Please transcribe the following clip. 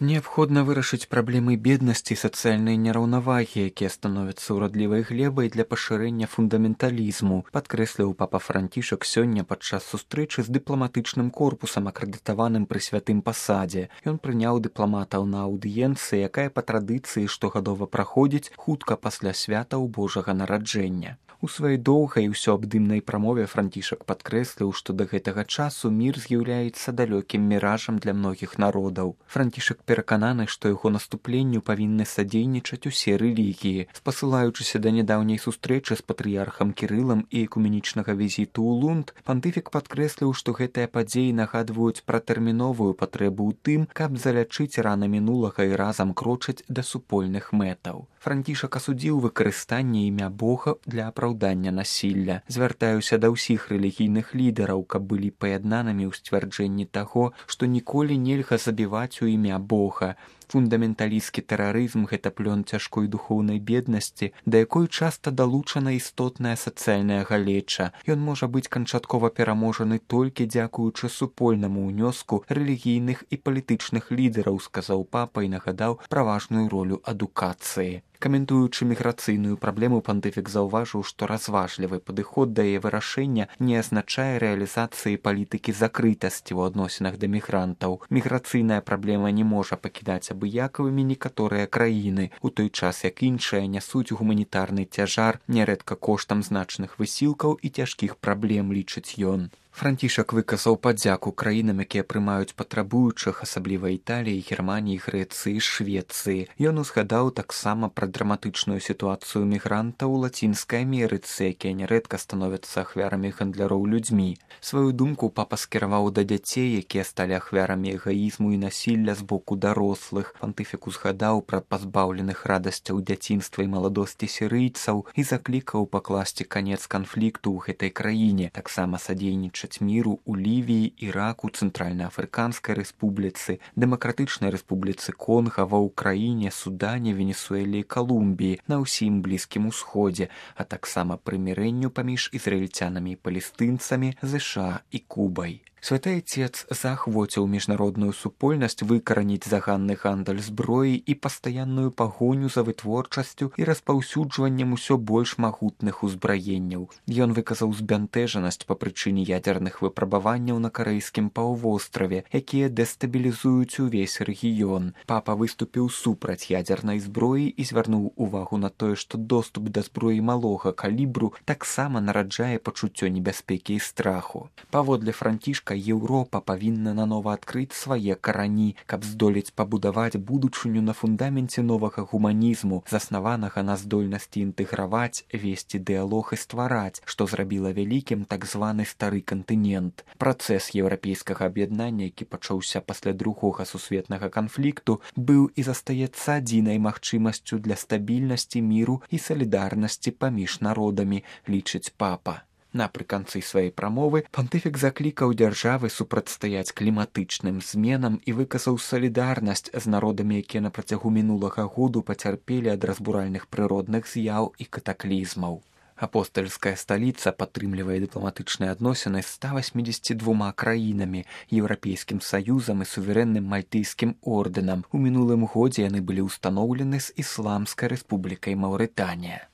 Неабходна вырашыць праблемы беднасці і сацыяльнай нераўнавагі, якія становяцца ўрадлівай глебай для пашырэння фундаменталізму, падкрэсліў папа Францішак сёння падчас сустрэчы з дыпламатычным корпусам, акрэдытаваным пры святым пасадзе. Ён прыняў дыпламатаў на аўдыенцыі, якая па традыцыі штогадова праходзіць хутка пасля святаў Божага нараджэння. У сваёй доўгай і ўсёабдымнай прамове Францішак падкрэсліў, што да гэтага часу мір з'яўляецца далёкім міражам для многіх народаў. Францішак перакананы, што яго наступленню павінны садзейнічаць усе рэлігіі. Спасылаючыся да нядаўняй сустрэчы з патрыярхам Кірылам і экуменічнага візіту ў Лунд, пантыфік падкрэсліў, што гэтыя падзеі нагадваюць пра тэрміновую патрэбу ў тым, каб залячыць раны мінулага і разам крочыць да супольных мэтаў. Францішак асудзіў выкарыстанне імя Бога для апраўдання насілля. Звяртаюся да ўсіх рэлігійных лідараў, каб былі паяднанымі ў сцвярджэнні таго, што ніколі нельга забіваць у імя Бога. Фундаменталісцкі тэрарызм – гэта плён цяжкой духоўнай беднасці, да якой часта далучана істотная сацыяльная галеча. Ён можа быць канчаткова пераможаны толькі дзякуючы супольнаму ўнёску рэлігійных і палітычных лідараў, сказаў папа і нагадаў пра важную ролю адукацыі. Каментуючы міграцыйную праблему, пантыфік заўважыў, што разважлівы падыход да яе вырашэння не азначае рэалізацыі палітыкі закрытасці ў адносінах да мігрантаў. Міграцыйная праблема не можа пакідаць абыякавымі некаторыя краіны, у той час як іншыя нясуць гуманітарны цяжар, нярэдка коштам значных высілкаў і цяжкіх праблем, лічыць ён. Францішак выказаў падзяку краінам, якія прымаюць патрабуючых, асабліва Італіі, Германіі, Грэцыі, Швецыі. Ён узгадаў таксама пра драматычную сітуацыю мігрантаў у Лацінскай Амерыцы, якія нярэдка становяцца ахвярамі гандляроў людзьмі. Сваю думку папа скіраваў да дзяцей, якія сталі ахвярамі эгаізму і насілля з боку дарослых. Пантыфік узгадаў пра пазбаўленых радасцяў дзяцінства і маладосці сірыйцаў і заклікаў пакласці канец канфлікту ў гэтай краіне, таксама садзейнічаць міру у Лівіі, Іраку, Цэнтральна-Афрыканскай рэспубліцы, Дэмакратычнай рэспубліцы Конга, ва Ўкраіне, Судане, Венесуэле і Калумбіі, на ўсім Блізкім Усходзе, а таксама прымірэнню паміж ізраільцянамі і палестынцамі, ЗША і Кубай. Святы Айцец заахвоціў міжнародную супольнасць выкараніць заганны гандаль зброі і пастаянную пагоню за вытворчасцю і распаўсюджваннем усё больш магутных узбраенняў. Ён выказаў збянтэжанасць па прычыне ядзерных выпрабаванняў на карэйскім паўвостраве, якія дэстабілізуюць увесь рэгіён. Папа выступіў супраць ядзернай зброі і звярнуў увагу на тое, што доступ да зброі малога калібру таксама нараджае пачуццё небяспекі і страху. Паводле Францішка, Еўропа павінна нанова адкрыць свае карані, каб здолець пабудаваць будучыню на фундаменце новага гуманізму, заснаванага на здольнасці інтэграваць, весці дыялог і ствараць, што зрабіла вялікім так званы стары кантынент. Працэс еўрапейскага аб'яднання, які пачаўся пасля другога сусветнага канфлікту, быў і застаецца адзінай магчымасцю для стабільнасці, міру і салідарнасці паміж народамі, лічыць папа. Напрыканцы сваёй прамовы пантыфік заклікаў дзяржавы супрацьстаяць кліматычным зменам і выказаў салідарнасць з народамі, якія на працягу мінулага году пацярпелі ад разбуральных прыродных з'яў і катаклізмаў. Апостальская сталіца падтрымлівае дыпламатычныя адносіны з 182 краінамі, Еўрапейскім саюзам і суверэнным мальтыйскім ордэнам. У мінулым годзе яны былі ўстаноўлены з Ісламскай рэспублікай Маўрытанія.